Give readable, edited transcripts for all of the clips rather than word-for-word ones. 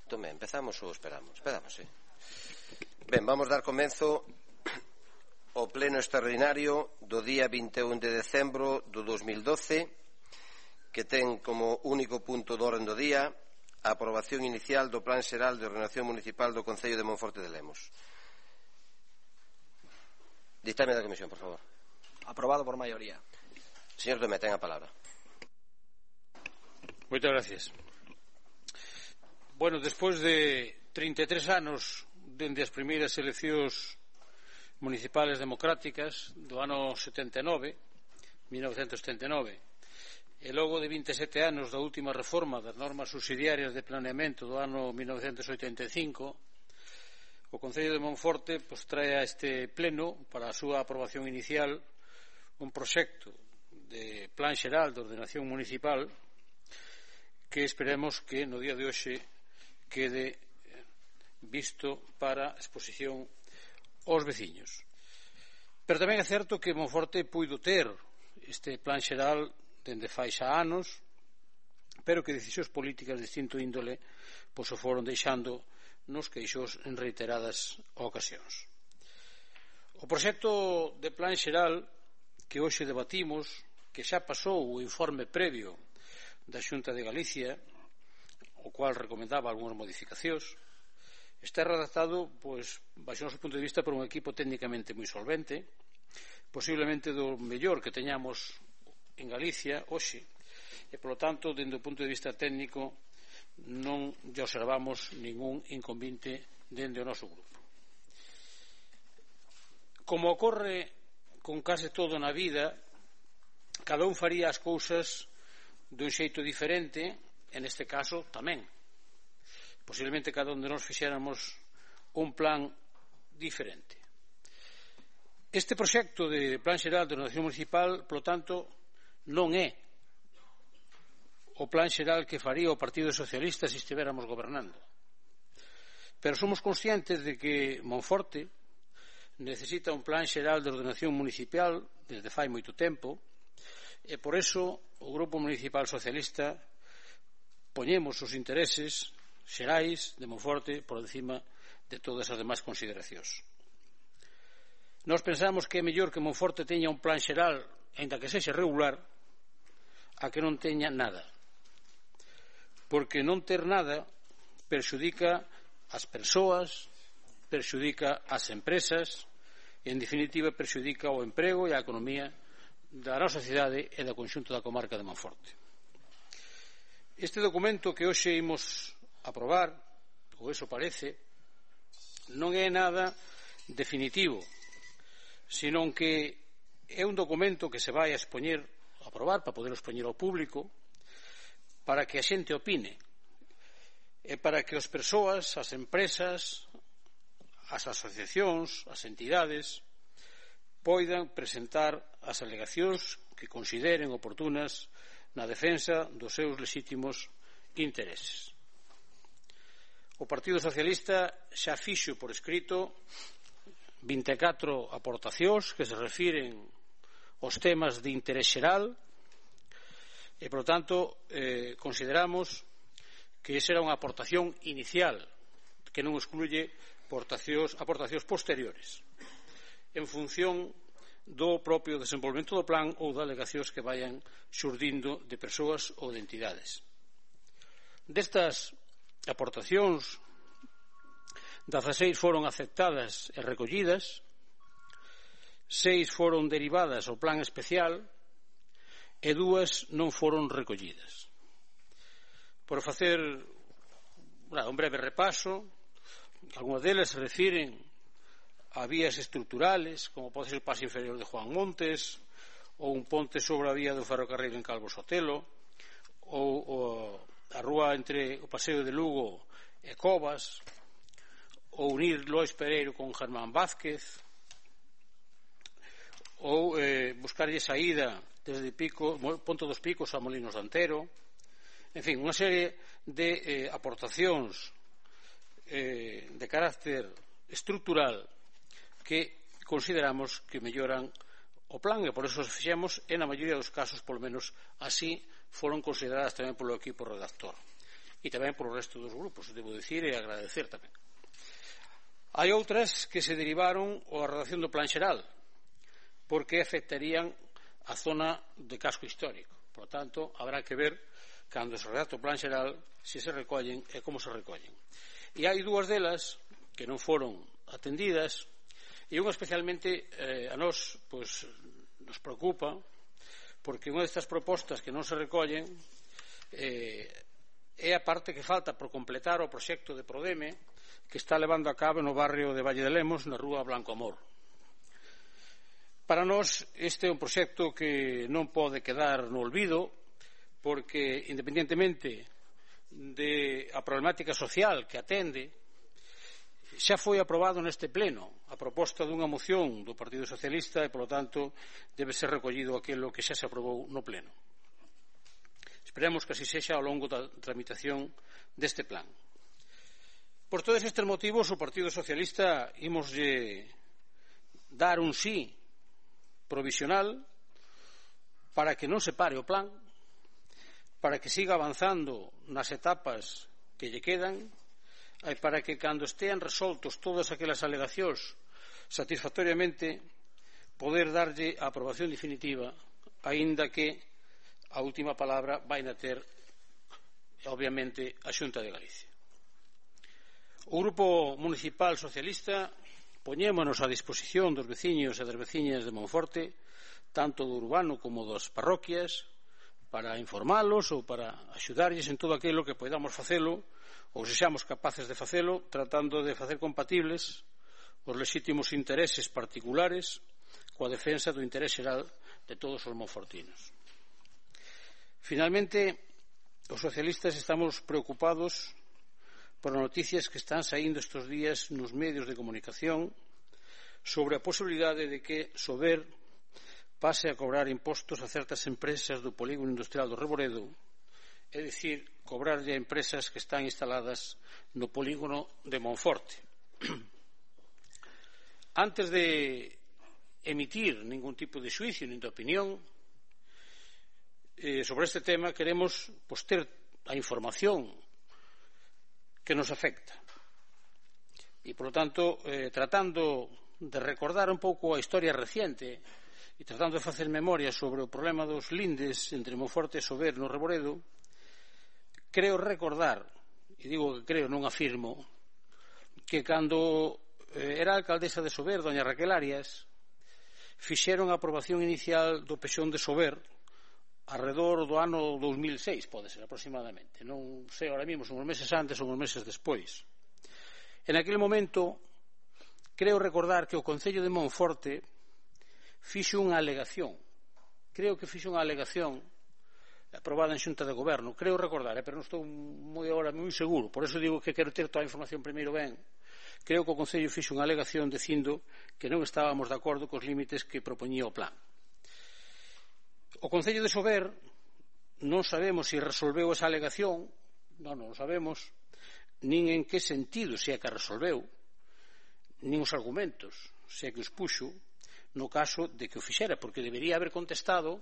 Tome, empezamos ou esperamos? Esperamos, sí. Ben, vamos dar comenzo ao pleno extraordinario do día 21 de decembro do 2012, que ten como único punto de orden do día a aprobación inicial do Plan Xeral de Ordenación Municipal do Concello de Monforte de Lemos. Ditame da comisión, por favor. Aprobado por maioría. Señor Tomé, ten a palabra. Moitas gracias. Bueno, despois de 33 anos dende as primeiras eleccións municipales democráticas do ano 1979, e logo de 27 anos da última reforma das normas subsidiarias de planeamento do ano 1985, o Concello de Monforte trae a este pleno para a súa aprobación inicial un proxecto de plan xeral de ordenación municipal que esperemos que no día de hoxe quede visto para exposición aos veciños. Pero tamén é certo que Monforte puido ter este plan xeral dende fai xa anos, pero que decisións políticas de distinto índole o foron deixando nos queixos en reiteradas ocasións. O proxecto de plan xeral que hoxe debatimos, que xa pasou o informe previo da Xunta de Galicia, o cual recomendaba algunhas modificacións, está redactado, baixo o noso punto de vista, por un equipo técnicamente moi solvente, posiblemente do mellor que teñamos en Galicia hoxe, e, polo tanto, dende o punto de vista técnico, non lle observamos ningún inconveniente dende o noso grupo. Como ocorre con case todo na vida, cada un faría as cousas dun xeito diferente, en este caso tamén. Posiblemente cada un de nós fixéramos un plan diferente. Este proxecto de Plan Xeral de Ordenación Municipal, polo tanto, non é o plan xeral que faría o Partido Socialista se estivéramos gobernando. Pero somos conscientes de que Monforte necesita un plan xeral de ordenación municipal desde fai moito tempo, e por eso o Grupo Municipal Socialista poñemos os intereses xerais de Monforte por encima de todas as demais consideracións. Nós pensamos que é mellor que Monforte teña un plan xeral, aínda que sexa regular, a que non teña nada. Porque non ter nada perxudica as persoas, perxudica as empresas e, en definitiva, perxudica o emprego e a economía da nosa cidade e do conxunto da comarca de Monforte. Este documento que hoxe imos aprobar, ou eso parece, non é nada definitivo, senón que é un documento que se vai a expoñer, a aprobar, para poder expoñer ao público, para que a xente opine, e para que as persoas, as empresas, as asociacións, as entidades, poidan presentar as alegacións que consideren oportunas na defensa dos seus lexítimos intereses. O Partido Socialista xa fixo por escrito 24 aportacións que se refiren aos temas de interés xeral e, por tanto, consideramos que esa era unha aportación inicial que non excluye aportacións posteriores en función do propio desenvolvemento do plan ou de alegacións que vayan xurdindo de persoas ou de entidades. Destas aportacións, 16 foron aceptadas e recollidas, 6 foron derivadas ao plan especial e 2 non foron recollidas. Por facer un breve repaso, algunhas delas se refiren a vías estruturales, como pode ser o paso inferior de Juan Montes, ou un ponte sobre a vía do ferrocarril en Calvo Sotelo, ou a rúa entre o paseo de Lugo e Covas, ou unir Lois Pereiro con Germán Vázquez, ou buscarlle saída desde Ponte dos Picos a Molinos de Antero. En fin, unha serie de aportacións de carácter estrutural que consideramos que melloran o plan e por eso os fixemos e na maioría dos casos, polo menos así, foron consideradas tamén polo equipo redactor. e tamén polo resto dos grupos, debo dicir, e agradecer tamén. Hai outras que se derivaron a redacción do Plan Xeral, porque afectarían a zona de casco histórico. Por tanto, habrá que ver, cando se redacta o Plan Xeral, se se recollen e como se recollen. E hai dúas delas que non foron atendidas, e unha especialmente a nós nos preocupa, porque unha destas propostas que non se recollen é a parte que falta por completar o proxecto de Prodeme que está levando a cabo no barrio de Valle de Lemos, na rúa Blanco Amor. Para nós este é un proxecto que non pode quedar no olvido, porque independentemente da problemática social que atende, xa foi aprobado neste pleno a proposta dunha moción do Partido Socialista e, polo tanto, debe ser recollido aquilo que xa se aprobou no pleno. Esperemos que así sexa ao longo da tramitación deste plan. Por todos estes motivos, o Partido Socialista imoslle dar un sí provisional para que non se pare o plan, para que siga avanzando nas etapas que lle quedan e para que, cando estean resoltos todas aquelas alegacións satisfactoriamente, poder darlle a aprobación definitiva, aínda que a última palabra vai na ter, obviamente, a Xunta de Galicia. O Grupo Municipal Socialista poñémonos a disposición dos veciños e das veciñas de Monforte, tanto do urbano como das parroquias, para informalos ou para axudarlles en todo aquilo que podamos facelo, ou se xamos capaces de facelo, tratando de facer compatibles os lexítimos intereses particulares coa defensa do interés xeral de todos os monfortinos. Finalmente, os socialistas estamos preocupados por noticias que están saindo estes días nos medios de comunicación sobre a posibilidade de que Sober pase a cobrar impostos a certas empresas do polígono industrial do Reboredo, é dicir, cobrarlle a empresas que están instaladas no polígono de Monforte. Antes de emitir ningún tipo de xuicio nin de opinión sobre este tema, queremos ter a información que nos afecta e, por lo tanto, tratando de recordar un pouco a historia reciente e tratando de facer memoria sobre o problema dos lindes entre Monforte e Sober no Reboredo, creo recordar, e digo que creo, non afirmo, que cando era alcaldesa de Sober, doña Raquel Arias, fixeron a aprobación inicial do pexón de Sober arredor do ano 2006, pode ser aproximadamente, non sei ahora mesmo, son os meses antes ou os meses despois. En aquel momento, creo recordar que o Concello de Monforte fixo unha alegación, aprobada en Xunta de Goberno, creo recordar, pero non estou moi seguro, por eso digo que quero ter toda a información primeiro ben. Creo que o Concello fixo unha alegación dicindo que non estábamos de acordo cos límites que propoñía o plan. O Concello de Sober non sabemos se resolveu esa alegación, non o sabemos, nin en que sentido se é que resolveu, nin os argumentos se é que os puxo no caso de que o fixera, porque debería haber contestado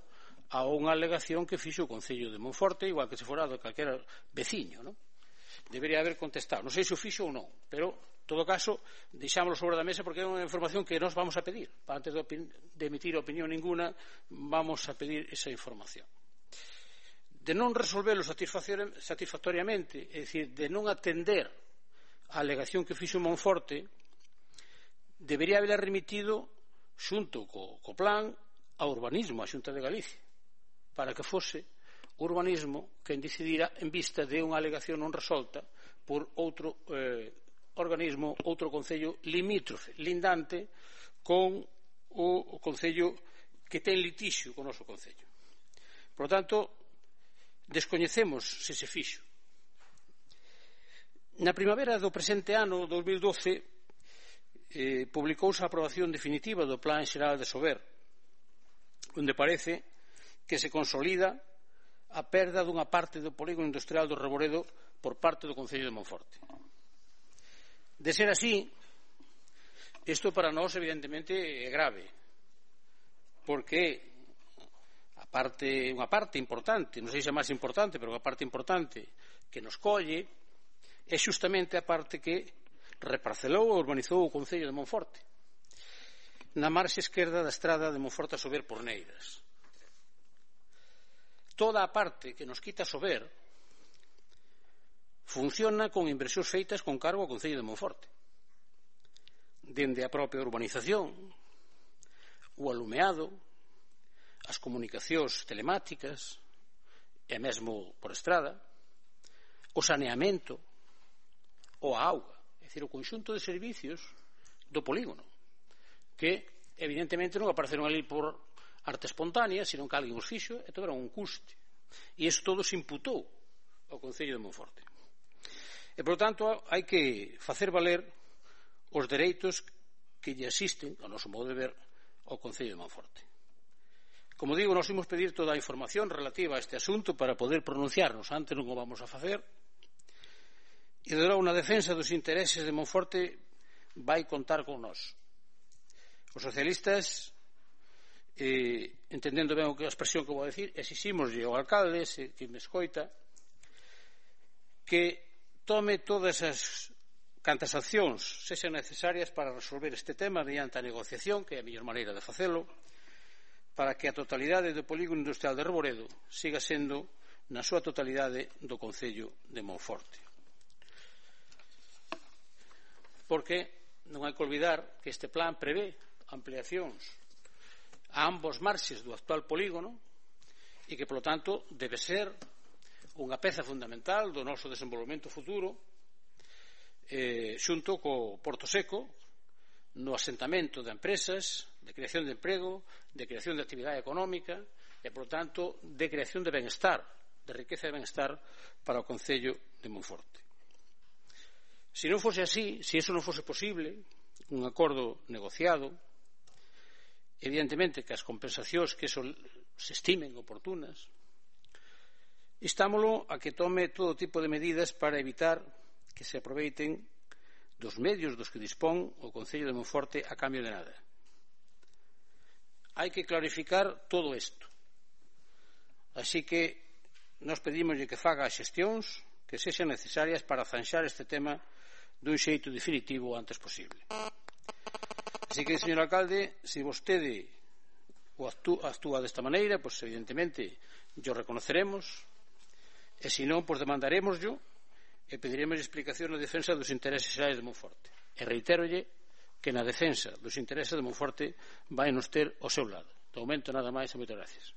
a unha alegación que fixo o Concello de Monforte, igual que se fora de calquera veciño, non? Debería haber contestado, non sei se o fixo ou non, pero en todo caso deixámoslo sobre da mesa porque é unha información que nos vamos a pedir, antes de emitir opinión ninguna vamos a pedir esa información. De non resolvelo satisfactoriamente, é dicir, de non atender a alegación que fixo Monforte, debería haber remitido xunto co plan a urbanismo, a Xunta de Galicia, para que fose o urbanismo quen decidira en vista de unha alegación non resolta por outro organismo, outro concello limítrofe, lindante con o concello que ten litixio con o noso concello. Por lo tanto, descoñecemos se se fixo. Na primavera do presente ano, 2012, publicouse a aprobación definitiva do Plan Xeral de Sober, onde parece que se consolida a perda dunha parte do polígono industrial do Reboredo por parte do Concello de Monforte. De ser así, isto para nós evidentemente é grave, porque a unha parte importante, non sei se é máis importante, pero unha parte importante que nos colle é xustamente a parte que reparcelou e urbanizou o concello de Monforte, na marxe esquerda da estrada de Monforte a Sober por Neiras. Toda a parte que nos quita Sober funciona con inversións feitas con cargo ao concello de Monforte, dende a propia urbanización, o alumeado, as comunicacións telemáticas e mesmo por estrada, o saneamento ou a auga, é dicir, o conxunto de servicios do polígono, que evidentemente non apareceron ali por arte espontánea, senón que alguén os fixo e tiveron un custe. E iso todo se imputou ao concello de Monforte. E, por tanto, hai que facer valer os dereitos que lle asisten, ao noso modo de ver, ao concello de Monforte. Como digo, nos imos pedir toda a información relativa a este asunto para poder pronunciarnos. Antes non o vamos a facer. E, de logo, na defensa dos intereses de Monforte vai contar con nós. Os socialistas, entendendo ben a expresión que vou dicir, exiximoslle ao alcalde, que me escoita, que tome todas as cantas accións sexan necesarias para resolver este tema mediante a negociación, que é a mellor maneira de facelo, para que a totalidade do polígono industrial de Reboredo siga sendo na súa totalidade do concello de Monforte. Porque non hai que olvidar que este plan prevé ampliacións a ambos marxes do actual polígono e que, polo tanto, debe ser unha peza fundamental do noso desenvolvemento futuro, xunto co Porto Seco, no asentamento de empresas, de creación de emprego, de creación de actividade económica e, por tanto, de creación de benestar, de riqueza e benestar para o concello de Monforte. Se non fose así, se iso non fose posible, un acordo negociado, evidentemente que as compensacións que se estimen oportunas, instámolo a que tome todo tipo de medidas para evitar que se aproveiten dos medios dos que dispón o concello de Monforte a cambio de nada. Hai que clarificar todo isto. Así que nos pedimoslle que faga as xestións que sexan necesarias para zanxar este tema dun xeito definitivo o antes posible. Así que, señor alcalde, se vostede actúa desta maneira, pois evidentemente yo reconoceremos, e se non, pois demandaremoslo e pediremos explicación na defensa dos intereses xerais de Monforte. E reitérolle que na defensa dos intereses de Monforte vai nos ter ao seu lado. De momento, nada máis e moitas gracias.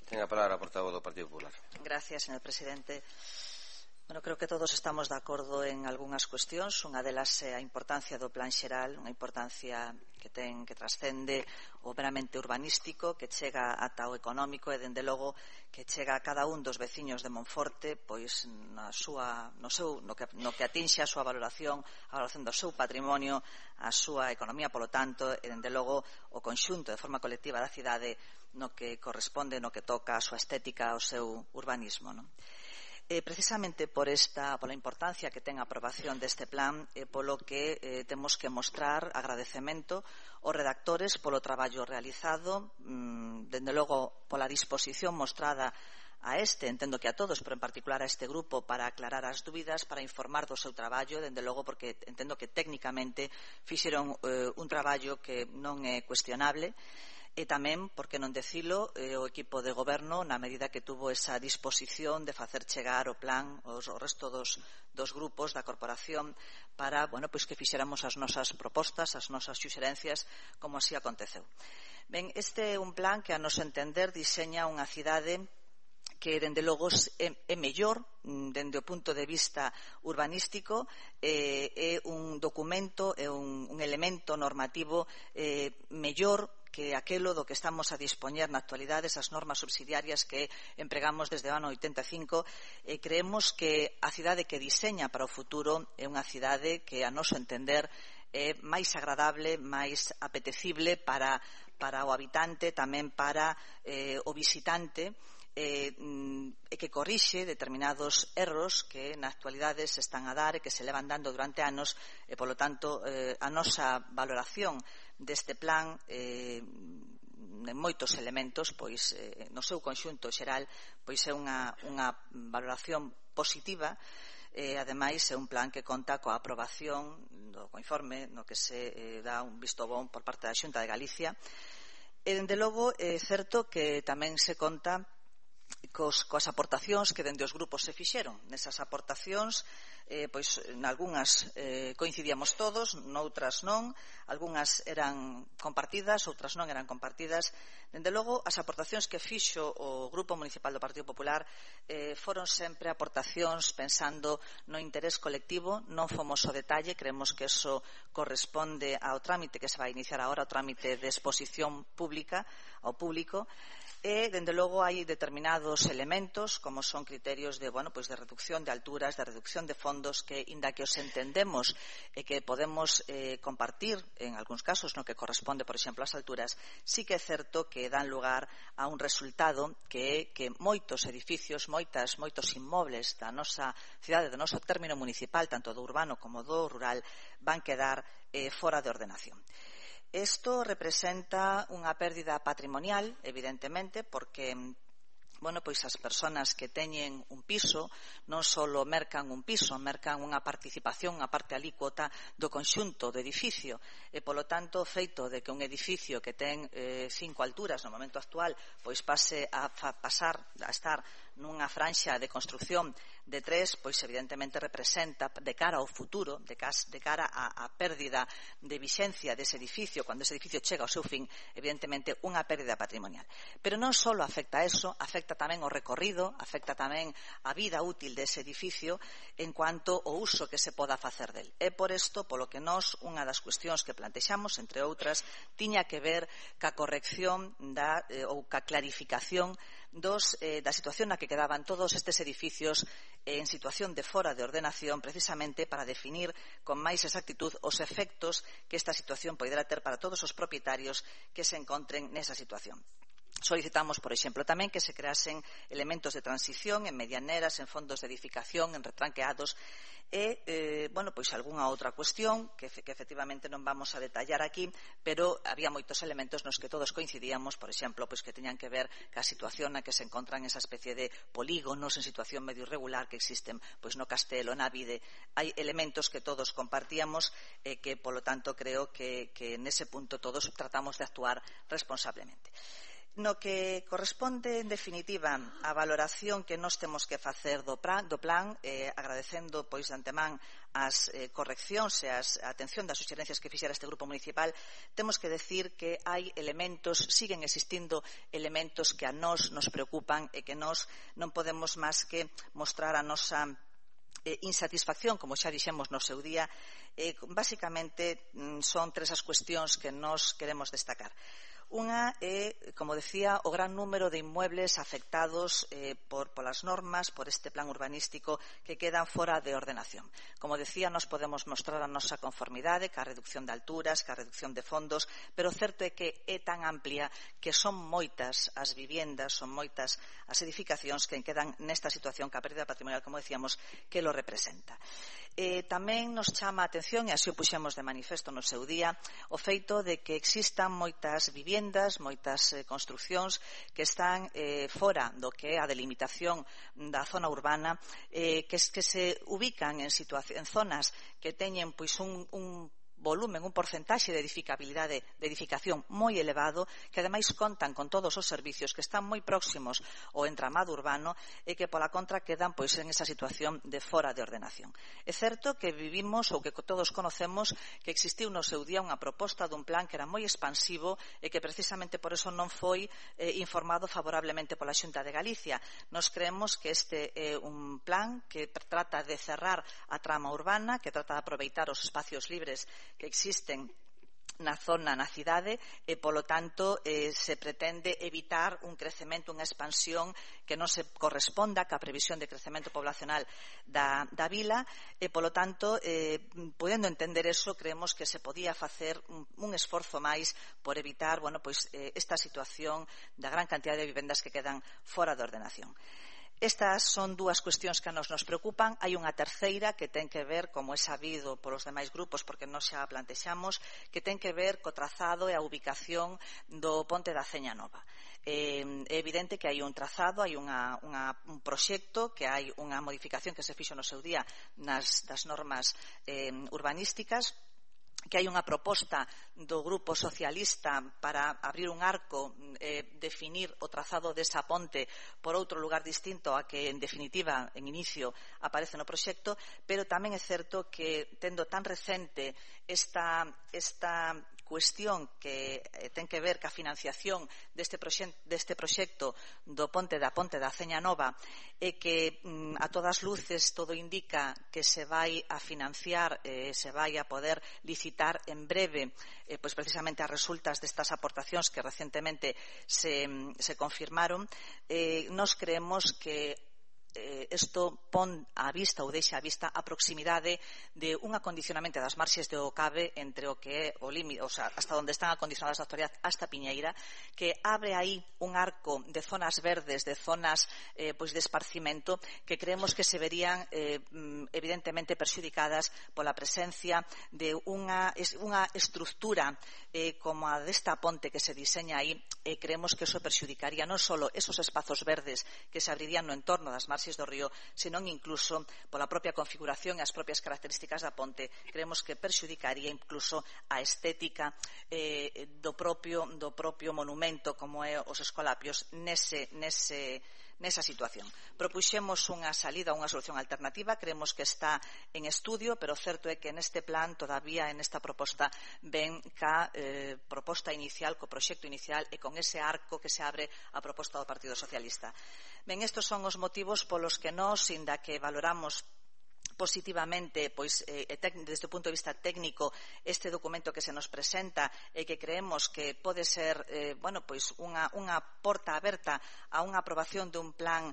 Ten a palabra a portavoz do Partido Popular. Gracias, señor presidente. Bueno, creo que todos estamos de acordo en algunhas cuestións. Unha delas é a importancia do plan xeral, unha importancia que trascende o meramente urbanístico, que chega ata o económico e, dende logo, que chega a cada un dos veciños de Monforte, pois no que atinxe a súa valoración do seu patrimonio, a súa economía, polo tanto, e, dende logo, o conxunto de forma colectiva da cidade no que corresponde, no que toca a súa estética, ao seu urbanismo, non? Precisamente por la importancia que ten a aprobación deste plan, polo que temos que mostrar agradecemento aos redactores polo traballo realizado, dende logo pola disposición mostrada a entendo que a todos, pero en particular a este grupo, para aclarar as dúbidas, para informar do seu traballo, dende logo porque entendo que técnicamente fixeron un traballo que non é cuestionable, e tamén, por que non dicilo, o equipo de goberno, na medida que tuvo esa disposición de facer chegar o plan aos resto dos grupos da corporación para, pois que fixéramos as nosas propostas, as nosas suxerencias, como así aconteceu. Ben, este é un plan que, a noso entender, diseña unha cidade que, dende logo, é mellor dende o punto de vista urbanístico, é un documento, é un elemento normativo mellor que aquelo do que estamos a dispoñer na actualidade, esas normas subsidiarias que empregamos desde o ano 85, e creemos que a cidade que diseña para o futuro é unha cidade que, a noso entender, é máis agradable, máis apetecible para o habitante, tamén para o visitante, e que corrixe determinados erros que na actualidade se están a dar e que se levan dando durante anos, e, polo tanto, a nosa valoración deste plan en moitos elementos, pois no seu conxunto xeral, pois é unha valoración positiva. Ademais, é un plan que conta coa aprobación do informe no que se dá un visto bon por parte da Xunta de Galicia. E, dende logo, é certo que tamén se conta coas aportacións que dende os grupos se fixeron. Nesas aportacións, pois, nalgúnas coincidíamos todos, noutras non, algunhas eran compartidas, outras non eran compartidas. Dende logo, as aportacións que fixo o Grupo Municipal do Partido Popular foron sempre aportacións pensando no interés colectivo, non fomos ao detalle, creemos que eso corresponde ao trámite que se vai iniciar agora, ao trámite de exposición pública ao público. E, dende logo, hai determinados elementos, como son criterios de reducción de alturas, de reducción de fondos, que, inda que os entendemos e que podemos compartir, en algúns casos, no que corresponde, por exemplo, ás alturas, sí que é certo que dan lugar a un resultado que é que moitos edificios, moitos inmobles da nosa cidade, do noso término municipal, tanto do urbano como do rural, van quedar fora de ordenación. Isto representa unha pérdida patrimonial, evidentemente, porque pois as persoas que teñen un piso non só mercan un piso, mercan unha participación, unha parte alícuota do conxunto do edificio, e, polo tanto, o feito de que un edificio que ten 5 alturas no momento actual pois pase a estar nunha franxa de construción de 3, pois evidentemente representa de cara ao futuro, de cara á pérdida de vixencia dese edificio, cando ese edificio chega ao seu fin, evidentemente unha pérdida patrimonial. Pero non só afecta a eso, afecta tamén o recorrido, afecta tamén a vida útil dese edificio en cuanto ao uso que se poda facer del. E por isto, polo que nós, unha das cuestións que plantexamos, entre outras, tiña que ver ca corrección ou ca clarificación da situación na que quedaban todos estes edificios en situación de fora de ordenación, precisamente para definir con máis exactitud os efectos que esta situación poderá ter para todos os propietarios que se encontren nesa situación. Solicitamos, por exemplo, tamén que se creasen elementos de transición en medianeras, en fondos de edificación, en retranqueados e, pois algunha outra cuestión que efectivamente non vamos a detallar aquí, pero había moitos elementos nos que todos coincidíamos, por exemplo, pois que teñan que ver ca situación na que se encontran esa especie de polígonos en situación medio irregular que existen pois no Castelo, na Vide. Hai elementos que todos compartíamos e que, polo tanto, creo que nese punto todos tratamos de actuar responsablemente. No que corresponde, en definitiva, a valoración que nós temos que facer do plan, agradecendo pois de antemán as correccións e a atención das suxerencias que fixera este grupo municipal, temos que decir que hai elementos, siguen existindo elementos que a nós nos preocupan e que nós non podemos máis que mostrar a nosa insatisfacción, como xa dixemos no seu día. Basicamente son 3 as cuestións que nós queremos destacar. Unha é, como decía, o gran número de inmuebles afectados polas normas, por este plan urbanístico, que quedan fora de ordenación. Como decía, nos podemos mostrar a nosa conformidade ca reducción de alturas, ca reducción de fondos, pero o certo é que é tan amplia que son moitas as viviendas, son moitas as edificacións que quedan nesta situación, ca pérdida patrimonial, como decíamos, que lo representa. Tamén nos chama a atención, e así o puxemos de manifesto no seu día, o feito de que existan moitas viviendas, moitas construcións que están fora do que é a delimitación da zona urbana, que se ubican en zonas que teñen pois un volumen, un porcentaxe de edificabilidade, de edificación moi elevado, que ademais contan con todos os servicios, que están moi próximos ao entramado urbano e que pola contra quedan pois en esa situación de fora de ordenación. É certo que vivimos, ou que todos conocemos, que existiu no seu día unha proposta dun plan que era moi expansivo e que precisamente por eso non foi informado favorablemente pola Xunta de Galicia. Nos creemos que este é un plan que trata de cerrar a trama urbana, que trata de aproveitar os espacios libres que existen na zona, na cidade, e, polo tanto, se pretende evitar un crecemento, unha expansión que non se corresponda ca previsión de crecemento poblacional da vila, e, polo tanto, podendo entender eso, creemos que se podía facer un esforzo máis por evitar, esta situación da gran cantidad de vivendas que quedan fora de ordenación. Estas son dúas cuestións que a nos preocupan. Hai unha terceira que ten que ver, como é sabido polos demais grupos, porque nós xa a plantexamos, que ten que ver co trazado e a ubicación do ponte da Aceña Nova. É evidente que hai un trazado, hai un proxecto, que hai unha modificación que se fixo no seu día das normas urbanísticas, que hai unha proposta do Grupo Socialista para abrir un arco, definir o trazado desa ponte por outro lugar distinto a que, en definitiva, en inicio aparece no proxecto, pero tamén é certo que, tendo tan recente esta cuestión que ten que ver ca financiación deste proxecto do ponte da Aceña Nova, e que a todas luces todo indica que se vai a financiar, se vai a poder licitar en breve, pois precisamente as resultas destas aportacións que recentemente se confirmaron. Nós creemos que isto pon á vista ou deixa á vista a proximidade de un acondicionamento das marxes do Cabe entre o que é o límite, o sea, hasta onde están acondicionadas a actualidade hasta Piñeira, que abre aí un arco de zonas verdes, de zonas pois de esparcimento, que creemos que se verían evidentemente perxudicadas pola presencia de unha estructura como a desta ponte que se diseña aí. Creemos que eso perxudicaría non só esos espazos verdes que se abrirían no entorno das marxes do río, senón incluso pola propia configuración e as propias características da ponte. Creemos que perxudicaría incluso a estética do propio monumento como é os Escolapios nesa situación. Propuxemos unha salida, unha solución alternativa, creemos que está en estudio, pero certo é que neste plan, todavía en esta proposta, ven ca proposta inicial, co proxecto inicial e con ese arco que se abre a proposta do Partido Socialista. Ben, estes son os motivos polos que nós, inda que valoramos positivamente, pois, desde o punto de vista técnico, este documento que se nos presenta e que creemos que pode ser pois unha porta aberta a unha aprobación dun plan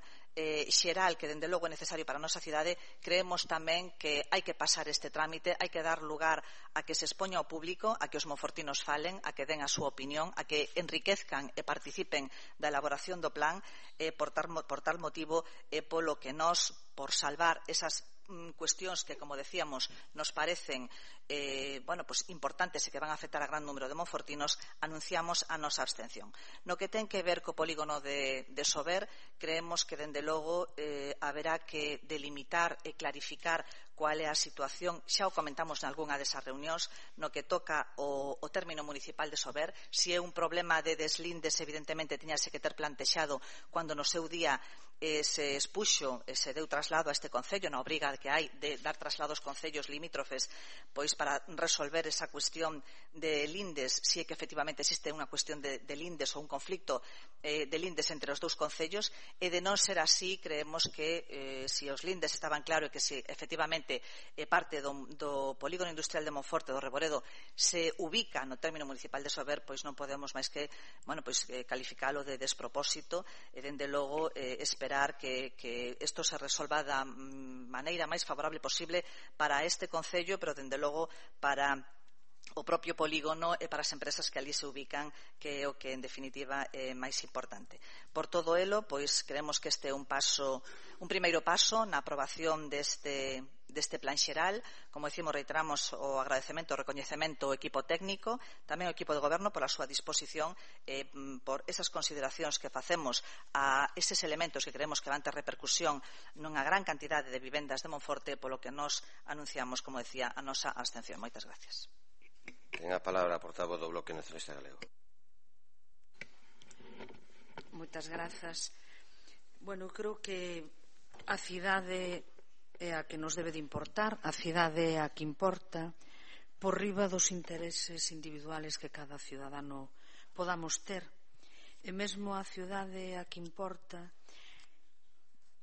xeral que, dende logo, é necesario para a nosa cidade. Creemos tamén que hai que pasar este trámite, hai que dar lugar a que se expoña ao público, a que os monfortinos falen, a que den a súa opinión, a que enriquezcan e participen da elaboración do plan. Por tal motivo, polo que nós, por salvar esas cuestións que, como decíamos, nos parecen importantes e que van a afectar a gran número de monfortinos, anunciamos a nosa abstención. No que ten que ver co polígono de Sober, creemos que, dende logo, haberá que delimitar e clarificar cual é a situación. Xa o comentamos nalgunha desas reunións, no que toca o término municipal de Sober. Si é un problema de deslindes, evidentemente tiñase que ter plantexado cando no seu día se expuxo, se deu traslado a este concello, na obriga que hai de dar traslado aos concellos limítrofes, pois para resolver esa cuestión de lindes, si é que efectivamente existe unha cuestión de lindes ou un conflicto de lindes entre os dous concellos. E de non ser así, creemos que si os lindes estaban claro e que si efectivamente parte do polígono industrial de Monforte, do Reboredo, se ubica no término municipal de Sober, pois non podemos máis que calificalo de despropósito e, dende logo, esperar que isto se resolva da maneira máis favorable posible para este concello, pero, dende logo, para o propio polígono e para as empresas que ali se ubican, que é o que, en definitiva, é máis importante. Por todo elo, pois, creemos que este é un primeiro paso na aprobación deste plan xeral. Como decimos, reiteramos o agradecemento, o recoñecemento ao equipo técnico, tamén ao equipo de goberno pola súa disposición, por esas consideracións que facemos a eses elementos que creemos que van ter repercusión nunha gran cantidade de vivendas de Monforte, polo que nos anunciamos, como decía, a nosa abstención. Moitas gracias. Ten a palabra a portavoz do Bloque Nacionalista Galego. Moitas grazas. Bueno, creo que a cidade é a que nos debe de importar, a cidade é a que importa, por riba dos intereses individuales que cada cidadano podamos ter. E mesmo a cidade é a que importa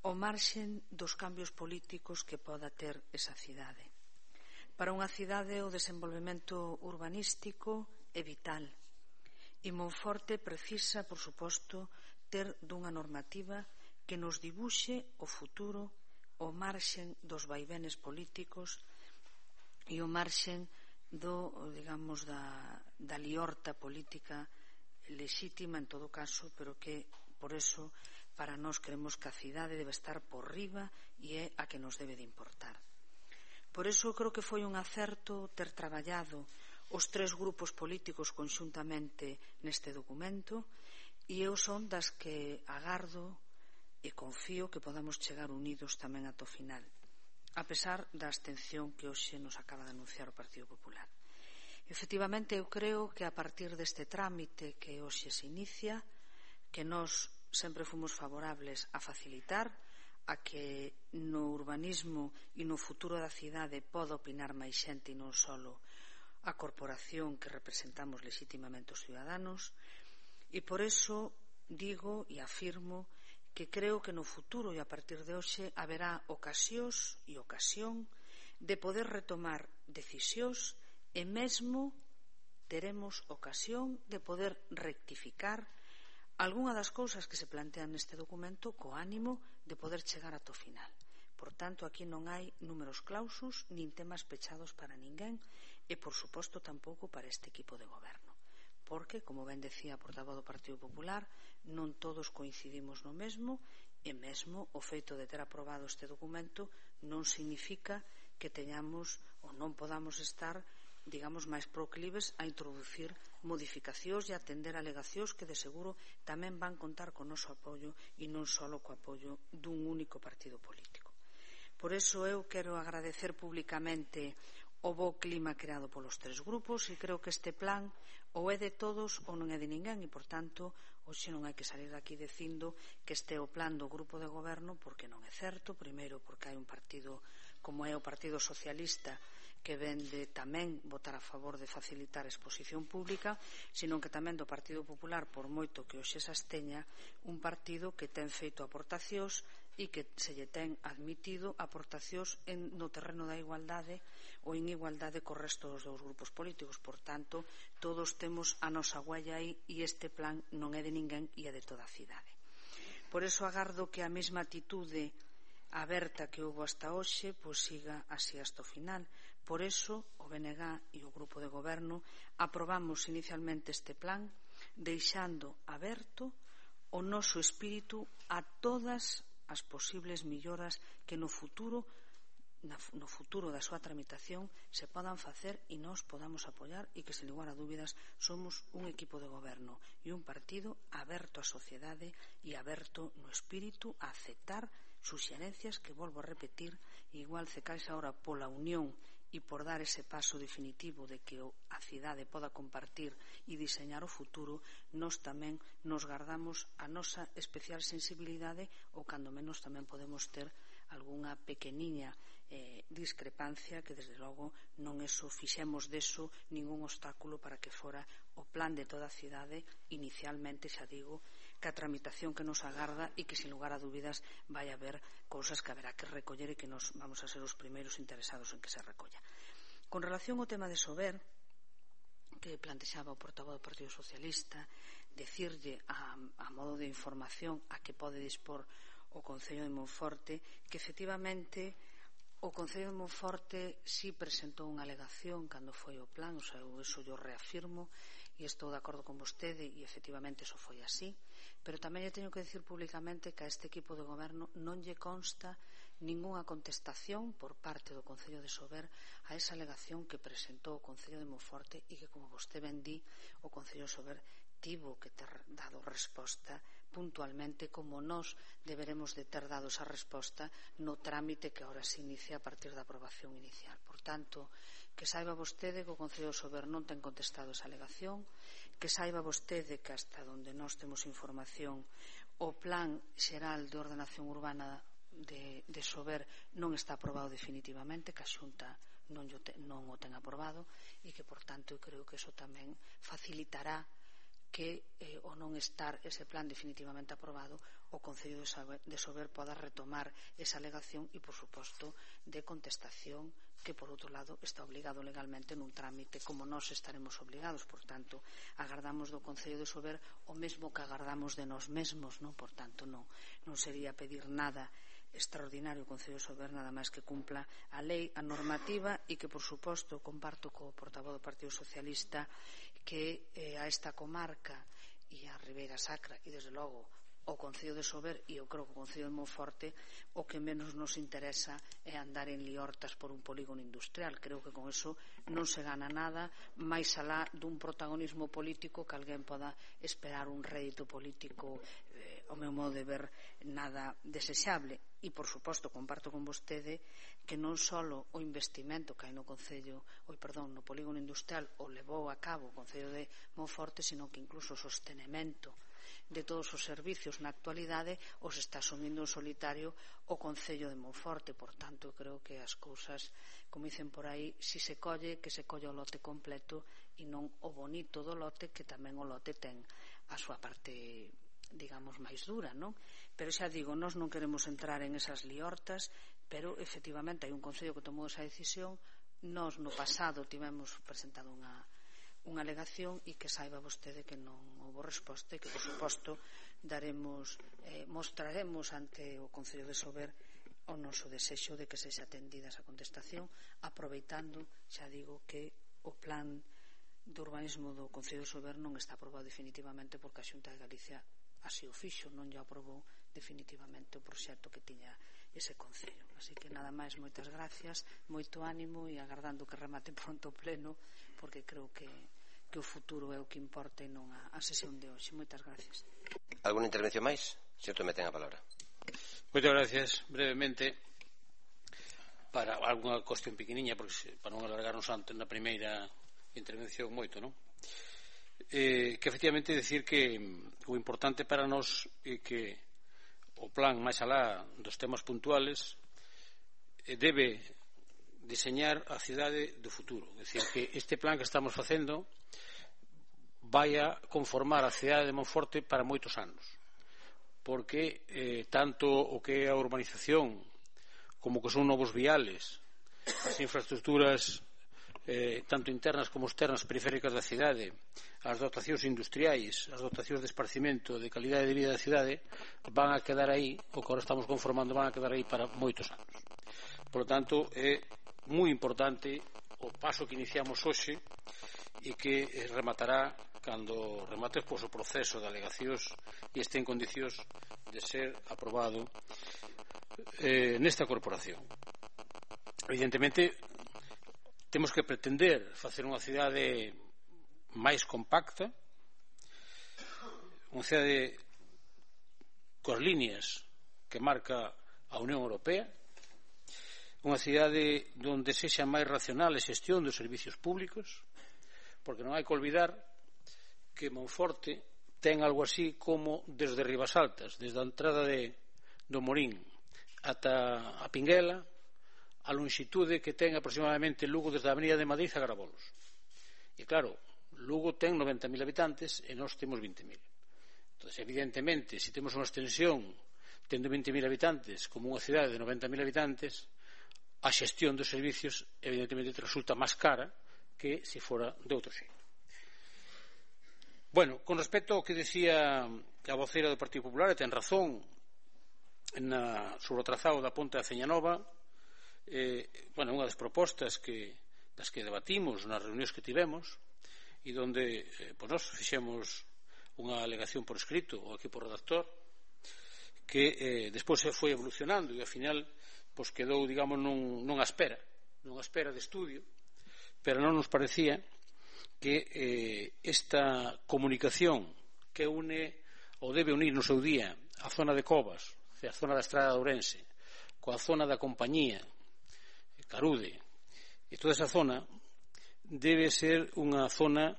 o marxen dos cambios políticos que poda ter esa cidade. Para unha cidade o desenvolvemento urbanístico é vital e Monforte precisa, por suposto, ter dunha normativa que nos dibuxe o futuro, o marxen dos vaivenes políticos e o marxen da liorta política lexítima en todo caso, pero que por eso para nós creemos que a cidade debe estar por riba e é a que nos debe de importar. Por iso creo que foi un acerto ter traballado os tres grupos políticos conxuntamente neste documento, e eu son das que agardo e confío que podamos chegar unidos tamén ata o final, a pesar da abstención que hoxe nos acaba de anunciar o Partido Popular. Efectivamente, eu creo que a partir deste trámite que hoxe se inicia, que nós sempre fomos favorables a facilitar, a que no urbanismo e no futuro da cidade poda opinar máis xente e non só a corporación que representamos legitimamente os ciudadanos, e por iso digo e afirmo que creo que no futuro e a partir de hoxe haberá ocasións e ocasión de poder retomar decisións e mesmo teremos ocasión de poder rectificar algunha das cousas que se plantean neste documento co ánimo de poder chegar ata o final. Por tanto, aquí non hai números clausus nin temas pechados para ninguén e, por suposto, tampouco para este equipo de goberno. Porque, como ben decía a portavoz do Partido Popular, non todos coincidimos no mesmo e mesmo o feito de ter aprobado este documento non significa que teñamos ou non podamos estar, digamos, máis proclives a introducir modificacións e atender alegacións que de seguro tamén van contar co noso apoio e non só co apoio dun único partido político. Por iso eu quero agradecer públicamente o bo clima creado polos tres grupos e creo que este plan ou é de todos ou non é de ninguén e, por tanto, hoxe non hai que salir daqui dicindo que este é o plan do grupo de goberno, porque non é certo. Primeiro, porque hai un partido como é o Partido Socialista que vende tamén votar a favor de facilitar a exposición pública, senón que tamén do Partido Popular, por moito que hoxe se absteña, un partido que ten feito aportacións e que se lle ten admitido aportacións no terreno da igualdade ou en igualdade co resto dos dous grupos políticos. Por tanto, todos temos a nosa huella aí e este plan non é de ninguén e é de toda a cidade. Por iso agardo que a mesma atitude aberta que houve hasta hoxe pois siga así hasta o final. Por iso o BNG e o grupo de goberno aprobamos inicialmente este plan deixando aberto o noso espírito a todas as posibles melloras que no futuro da súa tramitación se podan facer e nós podamos apoiar e que, sen lugar a dúbidas, somos un equipo de goberno e un partido aberto á sociedade e aberto no espírito a aceptar suxerencias que, volvo a repetir, igual se caixa ahora pola unión e por dar ese paso definitivo de que a cidade poda compartir e diseñar o futuro, nós tamén nos guardamos a nosa especial sensibilidade ou cando menos tamén podemos ter algunha pequeniña discrepancia que desde logo non fixemos deso ningún obstáculo para que fora o plan de toda a cidade inicialmente, xa digo, que a tramitación que nos agarda e que sin lugar a dúbidas vai haber cousas que haberá que recoller e que nos vamos a ser os primeiros interesados en que se recolla. Con relación ao tema de Sober, que plantexaba o portavoz do Partido Socialista, decirlle a modo de información a que pode dispor o Concello de Monforte que efectivamente o Concello de Monforte sí presentou unha alegación cando foi o plan, o sea, eso yo reafirmo e estou de acordo con vostede e efectivamente eso foi así, pero tamén lle teño que decir públicamente que a este equipo de goberno non lle consta ningunha contestación por parte do Concello de Sober a esa alegación que presentou o Concello de Monforte e que, como vostede ben di, o Concello de Sober tivo que ter dado resposta puntualmente como nós deberemos de ter dado esa resposta no trámite que ahora se inicia a partir da aprobación inicial. Por tanto, que saiba vostede que o Concello de Sober non ten contestado esa alegación, que saiba vostede que hasta onde nós temos información o Plan Xeral de Ordenación Urbana de Sober non está aprobado definitivamente, que a Xunta non o ten aprobado e que, por tanto, eu creo que eso tamén facilitará que o non estar ese plan definitivamente aprobado o Concello de Sober poda retomar esa alegación e, por suposto, de contestación que, por outro lado, está obligado legalmente nun trámite como nós estaremos obligados. Por tanto, agardamos do Concello de Sober o mesmo que agardamos de nós mesmos, non? Por tanto, non sería pedir nada extraordinario o Concello de Sober, nada máis que cumpla a lei, a normativa e que, por suposto, comparto co portavoz do Partido Socialista que a esta comarca e a Ribeira Sacra e, desde logo, o Concello de Sober e eu creo que o Concello de Monforte o que menos nos interesa é andar en liortas por un polígono industrial. Creo que con eso non se gana nada máis alá dun protagonismo político que alguén poda esperar un rédito político, ao meu modo de ver, nada desexable. E, por suposto, comparto con vostede que non só o investimento que hai no polígono industrial o levou a cabo o Concello de Monforte, sino que incluso o sostenimento de todos os servicios na actualidade os está asumindo en solitario o Concello de Monforte. Por tanto, creo que as cousas, como dicen por aí, si se colle, que se colle o lote completo e non o bonito do lote, que tamén o lote ten a súa parte, digamos, máis dura, non? Pero xa digo, nós non queremos entrar en esas liortas, pero efectivamente hai un Concello que tomou esa decisión. Nós no pasado tivemos presentado unha alegación e que saiba vostede que non houve resposta e que, por suposto, mostraremos ante o Concello de Sober o noso desexo de que sexa atendida esa contestación, aproveitando, xa digo, que o plan de urbanismo do Concello de Sober non está aprobado definitivamente porque a Xunta de Galicia así o fixo, non lle aprobou definitivamente o proxecto que tiña ese Concello. Así que nada máis, moitas gracias, moito ánimo e agardando que remate pronto o pleno, porque creo que o futuro é o que importa e non a sesión de hoxe. Moitas gracias. Alguna intervención máis? Señor Tomé, ten a palabra. Moitas gracias. Brevemente, para alguna cuestión pequeniña, porque para non alargarnos antes na primeira intervención moito, non? Que efectivamente decir que o importante para nós é que o plan, máis alá dos temas puntuales, debe diseñar a cidade do futuro. É dicir, que este plan que estamos facendo vai a conformar a cidade de Monforte para moitos anos, porque tanto o que é a urbanización como que son novos viales, as infraestructuras tanto internas como externas periféricas da cidade, as dotacións industriais, as dotacións de esparcimento, de calidade de vida da cidade, van a quedar aí, o que agora estamos conformando, van a quedar aí para moitos anos. Por lo tanto, é moi importante o paso que iniciamos hoxe e que rematará cando remate o proceso de alegacións e este en condicións de ser aprobado nesta corporación. Evidentemente, temos que pretender facer unha cidade máis compacta, unha cidade coas líneas que marca a Unión Europea, unha cidade onde sexa máis racional a xestión dos servicios públicos, porque non hai que olvidar que Monforte ten algo así como desde Ribasaltas, desde a entrada do Morín ata a Pinguela, a longitude que ten aproximadamente Lugo desde a Avenida de Madrid a Garabolos. E claro, Lugo ten 90.000 habitantes e nós temos 20.000. Entón, evidentemente, se temos unha extensión tendo 20.000 habitantes como unha cidade de 90.000 habitantes, a xestión dos servicios evidentemente resulta máis cara que se fora de outro xeito. Bueno, con respecto ao que decía a voceira do Partido Popular, e ten razón sobre o trazado da ponte da Ceñanova, unha das propostas das que debatimos nas reunións que tivemos e onde nós fixemos unha alegación por escrito ao equipo redactor que despois se foi evolucionando e ao final quedou, digamos, nunha espera de estudio, pero non nos parecía que esta comunicación que une ou debe unir no seu día a zona de Covas, a zona da Estrada de Ourense, coa zona da Compañía, Carude, e toda esa zona debe ser unha zona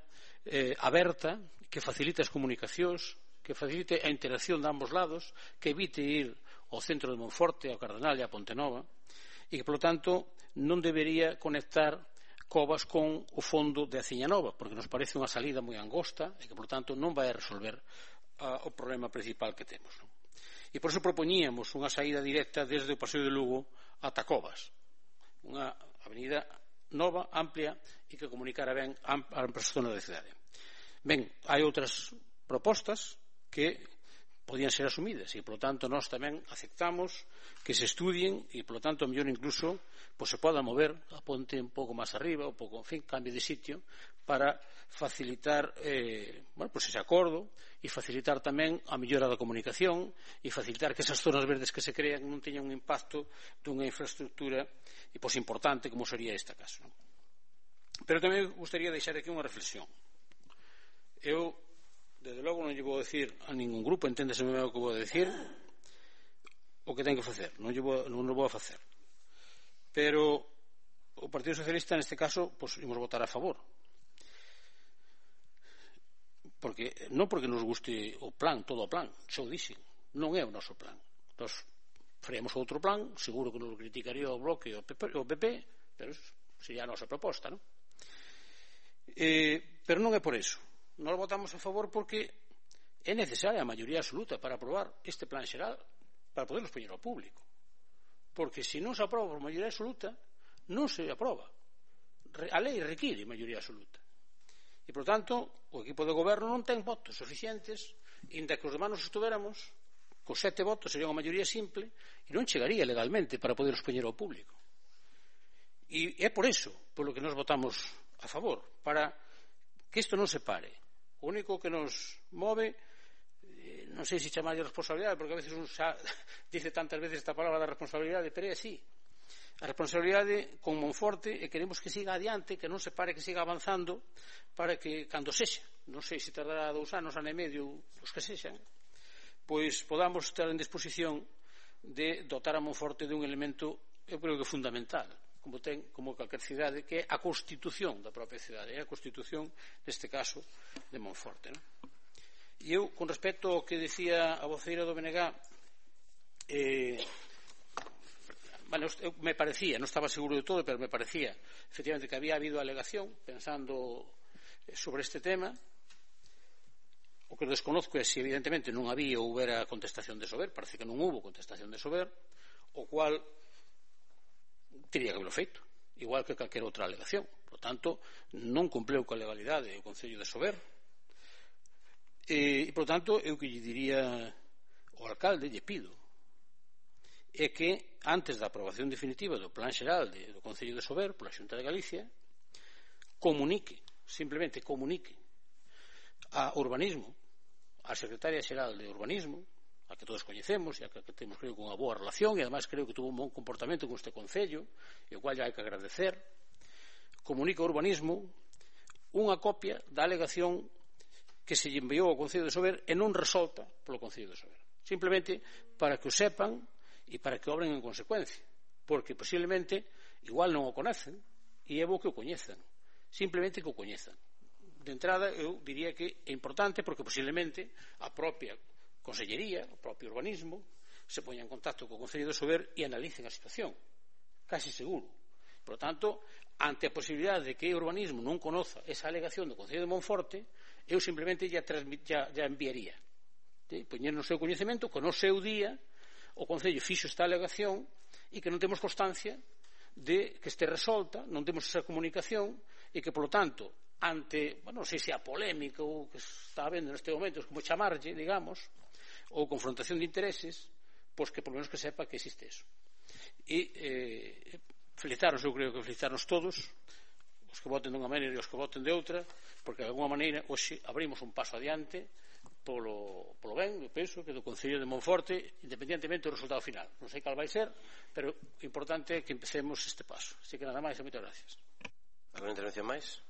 aberta, que facilite as comunicacións, que facilite a interacción de ambos lados, que evite ir ao centro de Monforte, ao Cardenal e a Pontenova, e que, polo tanto, non debería conectar Covas con o fondo de Aceñanova, porque nos parece unha salida moi angosta e que, por tanto, non vai a resolver o problema principal que temos. E por iso propoñíamos unha saída directa desde o Paseo de Lugo ata Covas, unha avenida nova, amplia e que comunicara ben a zonas da cidade. Ben, hai outras propostas que podían ser asumidas e, polo tanto, nós tamén aceptamos que se estudien e, polo tanto, a mellor incluso se poda mover a ponte un pouco máis arriba, un pouco, en fin, cambie de sitio para facilitar ese acordo e facilitar tamén a mellora da comunicación e facilitar que esas zonas verdes que se crean non teñan un impacto dunha infraestructura importante como sería este caso. Pero tamén gustaría deixar aquí unha reflexión. Eu, desde logo, non lle vou decir a ningún grupo, enténdeseme o que vou decir, o que ten que facer, non o vou a facer. Pero o Partido Socialista, neste caso, imos votar a favor. Non porque nos guste o plan, todo o plan, xa o dixen, non é o noso plan. Nos faremos outro plan, seguro que nos criticaría o Bloque e o PP, pero sería a nosa proposta, non? Pero non é por eso. Nós votamos a favor porque é necesaria a maioría absoluta para aprobar este plan xeral, para poderlos poñer ao público. Porque se non se aproba por maioría absoluta, non se aproba. A lei require maioría absoluta. E, por tanto, o equipo de goberno non ten votos suficientes, inda que os demais nos estuveramos, con 7 votos sería unha maioría simple, e non chegaría legalmente para poderlos poñer ao público. E é por eso polo que nos votamos a favor, para que isto non se pare. O único que nos move, non sei se chamarlle responsabilidade, porque a veces un xa dice tantas veces esta palabra da responsabilidade, pero é así. A responsabilidade con Monforte e queremos que siga adiante, que non se pare, que siga avanzando, para que, cando sexa, non sei se tardará 2 anos, ano e medio, os que sexan, pois podamos estar en disposición de dotar a Monforte dun elemento, eu creo que fundamental, como calquer cidade, que é a constitución da propia cidade, é a constitución, neste caso, de Monforte. E eu, con respecto ao que dicía a voceira do BNG, me parecía, non estaba seguro de todo, pero me parecía, efectivamente, que había habido alegación, pensando sobre este tema. O que desconozco é se, evidentemente, non había ou houbera contestación de Sober, parece que non hubo contestación de Sober, o cual teria que haberlo feito, igual que calquera outra alegación. Por tanto, non cumpleu coa legalidade o Concello de Sober. E, por tanto, eu que lle diría ao alcalde, lle pido, é que, antes da aprobación definitiva do Plan Xeral do Concello de Sober pola Xunta de Galicia, simplemente comunique a Urbanismo, a Secretaria Xeral de Urbanismo, a que todos coñecemos e a que temos, creo, unha boa relación, e además creo que tuvo un bon comportamento con este Concello, e o cual hai que agradecer, comunica ao Urbanismo unha copia da alegación que se lle enviou ao Concello de Sober e non resolta polo Concello de Sober, simplemente para que o sepan e para que obren en consecuencia, porque posiblemente igual non o conocen e é bo que o coñezan, simplemente que o coñezan. De entrada, eu diría que é importante porque posiblemente a propia Consellería, o propio Urbanismo, se poña en contacto co Concello de Sober e analicen a situación, casi seguro. Por lo tanto, ante a posibilidade de que o Urbanismo non conoza esa alegación do Concello de Monforte, eu simplemente ya enviaría, poñer no seu coñecemento que no seu día o Concello fixo esta alegación e que non temos constancia de que este resolta, non temos esa comunicación e que, polo tanto, ante, non sei se a polémica ou que está habendo neste momento, como chamarlle, digamos, ou confrontación de intereses, pois que, por lo menos, que sepa que existe eso. E felicitarnos, eu creo que felicitarnos todos, os que voten dunha maneira e os que voten de outra, porque, de alguma maneira, hoxe abrimos un paso adiante polo ben, eu penso, que do Concello de Monforte, independentemente do resultado final. Non sei cal vai ser, pero o importante é que empecemos este paso. Así que nada máis e moitas gracias. Alguna intervención máis?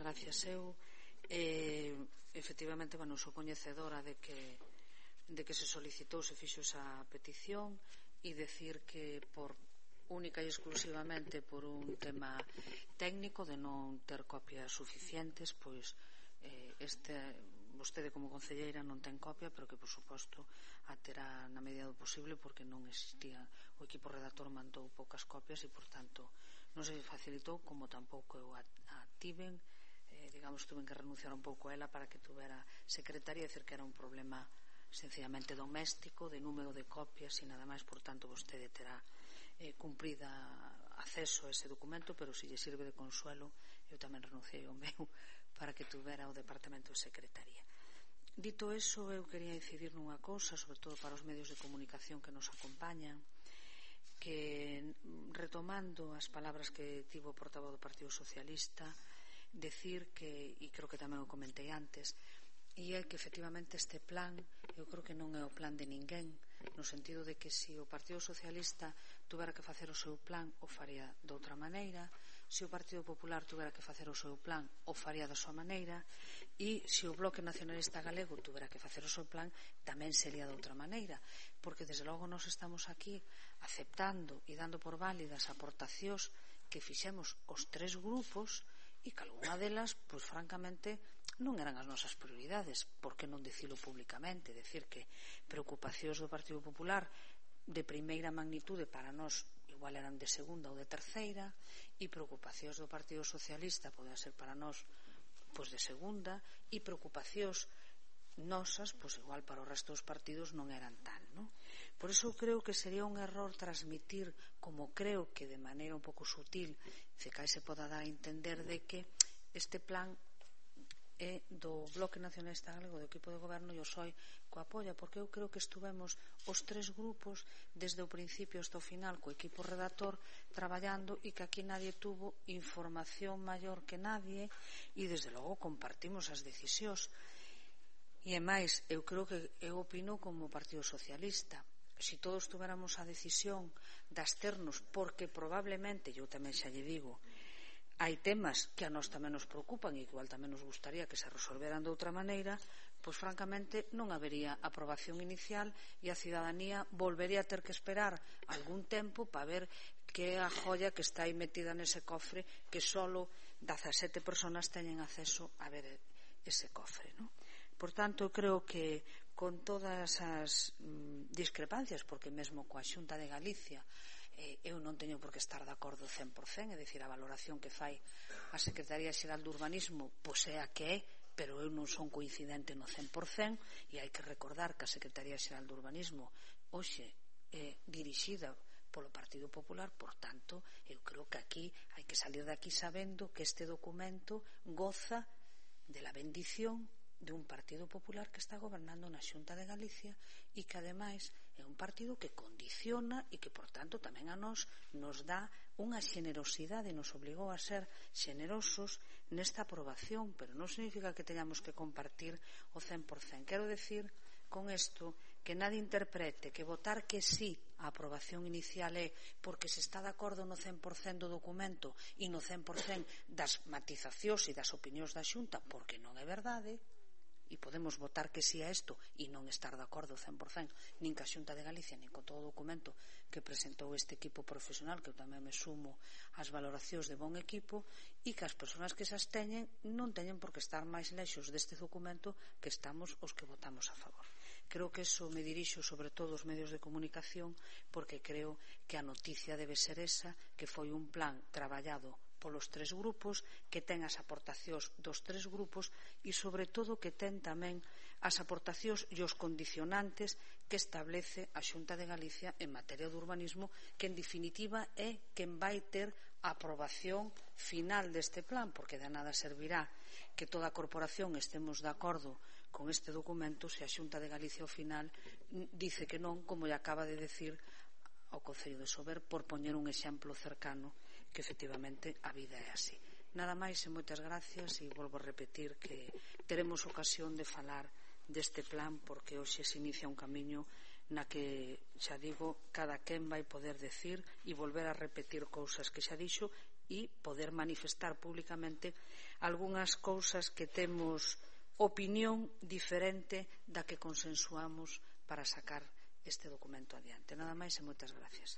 Gracias. Eu efectivamente, sou coñecedora de que se solicitou, se fixo esa petición, e decir que por única e exclusivamente por un tema técnico de non ter copias suficientes, pois vostede como concelleira non ten copia, pero que por suposto a terá na medida do posible, porque non existía, o equipo redactor mandou poucas copias e por tanto non se facilitou, como tampouco eu a tiven, digamos, tuven que renunciar un pouco a ela para que tuvera secretaria, decir que era un problema sencillamente doméstico de número de copias e nada máis. Por tanto vostede terá cumprida acceso a ese documento, pero se lle sirve de consuelo, eu tamén renunciei ao meu para que tuvera o Departamento de Secretaría. Dito eso, eu quería incidir nunha cousa, sobre todo para os medios de comunicación que nos acompañan, que retomando as palabras que tivo o portavoz do Partido Socialista, decir que, e creo que tamén o comentei antes, e é que efectivamente este plan eu creo que non é o plan de ninguén, no sentido de que se o Partido Socialista tuvera que facer o seu plan o faría de outra maneira, se o Partido Popular tuvera que facer o seu plan o faría da súa maneira, e se o Bloque Nacionalista Galego tuvera que facer o seu plan tamén sería de outra maneira, porque desde logo nos estamos aquí aceptando e dando por válidas aportacións que fixemos os tres grupos e que algunha delas, pois francamente, non eran as nosas prioridades. Por que non dicilo públicamente? Decir que preocupacións do Partido Popular de primeira magnitude para nós igual eran de segunda ou de terceira, e preocupacións do Partido Socialista poden ser para nós pois de segunda, e preocupacións nosas, pois igual para o resto dos partidos non eran tal, non? Por iso creo que sería un error transmitir, como creo que de maneira un pouco sutil Cecai se poda dar a entender, de que este plan é do Bloque Nacionalista Galego, do equipo de goberno, e o PSOE co apoia, porque eu creo que estuvemos os tres grupos desde o principio hasta o final co equipo redactor traballando, e que aquí nadie tuvo información maior que nadie, e desde logo compartimos as decisións. E é máis, eu creo que eu opino como Partido Socialista, se todos tuveramos a decisión de absternos, porque probablemente, eu tamén xa lle digo, hai temas que a nós tamén nos preocupan e que igual tamén nos gustaría que se resolveran de outra maneira, pois francamente non habería aprobación inicial e a cidadanía volvería a ter que esperar algún tempo para ver que é a joia que está aí metida nese cofre, que solo 17 personas teñen acceso a ver ese cofre, non? Por tanto, creo que con todas as discrepancias, porque mesmo coa Xunta de Galicia eu non teño por que estar de acordo 100%, é dicir, a valoración que fai a Secretaría Xeral de Urbanismo pois é a que é, pero eu non son coincidente no 100%, e hai que recordar que a Secretaría Xeral de Urbanismo hoxe é dirixida polo Partido Popular. Por tanto, eu creo que aquí hai que salir de aquí sabendo que este documento goza de la bendición de un Partido Popular que está gobernando na Xunta de Galicia e que ademais é un partido que condiciona e que por tanto tamén a nós nos dá unha xenerosidade, nos obligou a ser xenerosos nesta aprobación, pero non significa que teñamos que compartir o 100%. Quero decir con isto que nadie interprete que votar que sí a aprobación inicial é porque se está de acordo no 100% do documento e no 100% das matizacións e das opinións da Xunta, porque non é verdade. E podemos votar que si a isto e non estar de acordo 100% nin ca Xunta de Galicia nin con todo o documento que presentou este equipo profesional, que eu tamén me sumo ás valoracións de bon equipo, e que as persoas que se absteñen non teñen por que estar máis lexos deste documento que estamos os que votamos a favor. Creo que eso me dirixo sobre todo aos medios de comunicación, porque creo que a noticia debe ser esa, que foi un plan traballado polos tres grupos, que ten as aportacións dos tres grupos e sobre todo que ten tamén as aportacións e os condicionantes que establece a Xunta de Galicia en materia de urbanismo, que en definitiva é quen vai ter a aprobación final deste plan, porque de nada servirá que toda a corporación estemos de acordo con este documento se a Xunta de Galicia ao final dice que non, como lle acaba de decir ao Concello de Sober, por poñer un exemplo cercano, que efectivamente a vida é así. Nada máis e moitas gracias, e volvo a repetir que teremos ocasión de falar deste plan, porque hoxe se inicia un camiño na que, xa digo, cada quen vai poder decir e volver a repetir cousas que xa dixo e poder manifestar públicamente algunhas cousas que temos opinión diferente da que consensuamos para sacar este documento adiante. Nada máis e moitas gracias.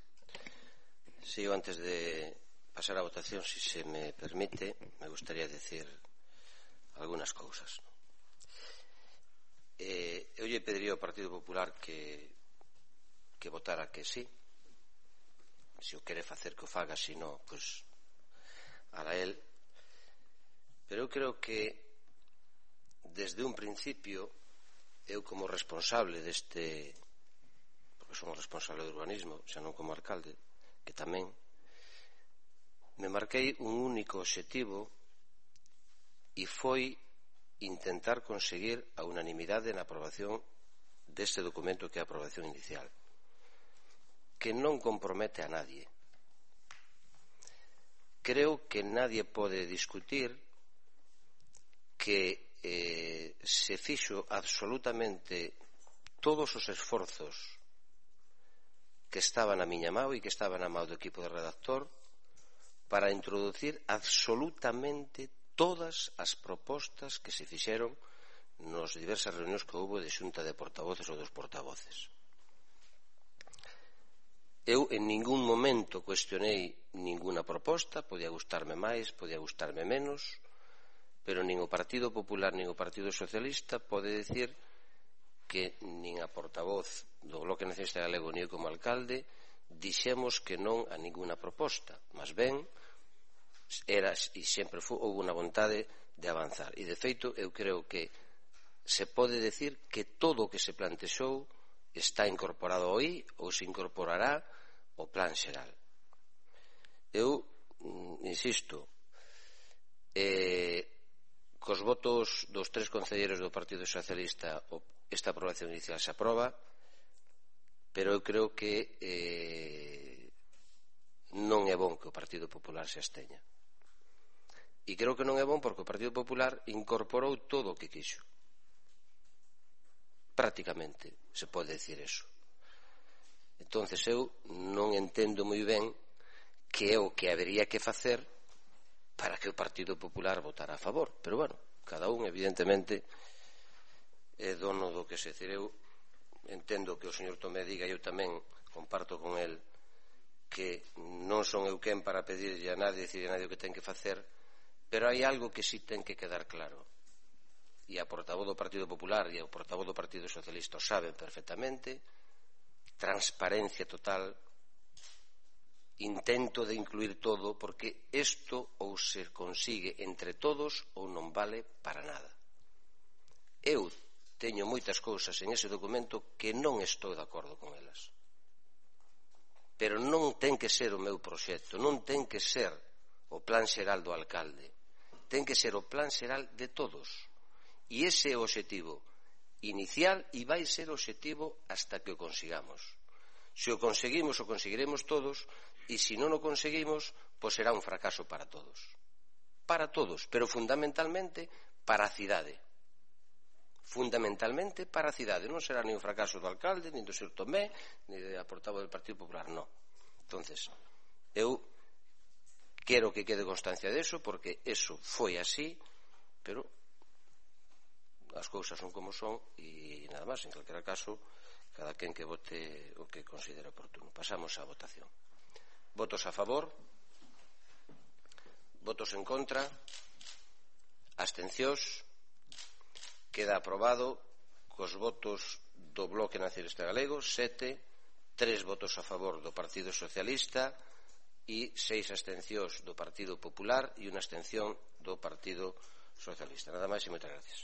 Sí, yo antes de pasar a votación, si se me permite, me gustaría decir algunas cousas. Eu lle pediría ao Partido Popular que votara que sí. Se o quere facer que o faga, se non, pois hará el. Pero eu creo que desde un principio eu como responsable deste, porque somos responsable do urbanismo, xa non como alcalde, que tamén me marquei un único obxectivo e foi intentar conseguir a unanimidade na aprobación deste documento que é a aprobación inicial, que non compromete a nadie. Creo que nadie pode discutir que se fixo absolutamente todos os esforzos que estaban a miña mão e que estaban a mão do equipo de redactor para introducir absolutamente todas as propostas que se fixeron nos diversas reunións que houve de xunta de portavoces ou dos portavoces. Eu en ningún momento cuestionei ninguna proposta, podía gustarme máis, podía gustarme menos, pero nin o Partido Popular nin o Partido Socialista pode decir que nin a portavoz do Bloque Nacionalista Galego nin eu como alcalde dixemos que non a ninguna proposta, mas ben era e sempre houve unha vontade de avanzar, e de feito eu creo que se pode decir que todo o que se plantexou está incorporado aí ou se incorporará ao plan xeral. Eu insisto, cos votos dos 3 concelleiros do Partido Socialista esta aprobación inicial se aproba, pero eu creo que non é bon que o Partido Popular se absteña. E creo que non é bon porque o Partido Popular incorporou todo o que quixo. Prácticamente se pode decir eso. Entonces eu non entendo moi ben que é o que habería que facer para que o Partido Popular votara a favor. Pero bueno, cada un evidentemente é dono do que se decir. Eu entendo que o señor Tomé diga, eu tamén comparto con el que non son eu quen para pedirlle a nadie, decirle a nadie o que ten que facer, pero hai algo que si ten que quedar claro, e a portavoz do Partido Popular e o portavoz do Partido Socialista o saben perfectamente: transparencia total, intento de incluir todo, porque isto ou se consigue entre todos ou non vale para nada. Eu teño moitas cousas en ese documento que non estou de acordo con elas, pero non ten que ser o meu proxecto, non ten que ser o plan xeral do alcalde, ten que ser o plan xeral de todos, e ese é o obxectivo inicial e vai ser o obxectivo hasta que o consigamos. Se o conseguimos, o conseguiremos todos, e se non o conseguimos, pois será un fracaso para todos, pero fundamentalmente para a cidade, fundamentalmente para a cidade. Non será nin un fracaso do alcalde, nin do señor Tomé, nin da portavoz do Partido Popular, non. Entonces, eu quero que quede constancia deso, porque eso foi así, pero as cousas son como son, e nada máis. En calquera caso, cada quen que vote o que considere oportuno. Pasamos á votación. Votos a favor, votos en contra, abstencións. Queda aprobado cos votos do Bloque Nacionalista Galego 7, 3 votos a favor do Partido Socialista e 6 abstencións do Partido Popular e unha abstención do Partido Socialista. Nada máis e moitas gracias.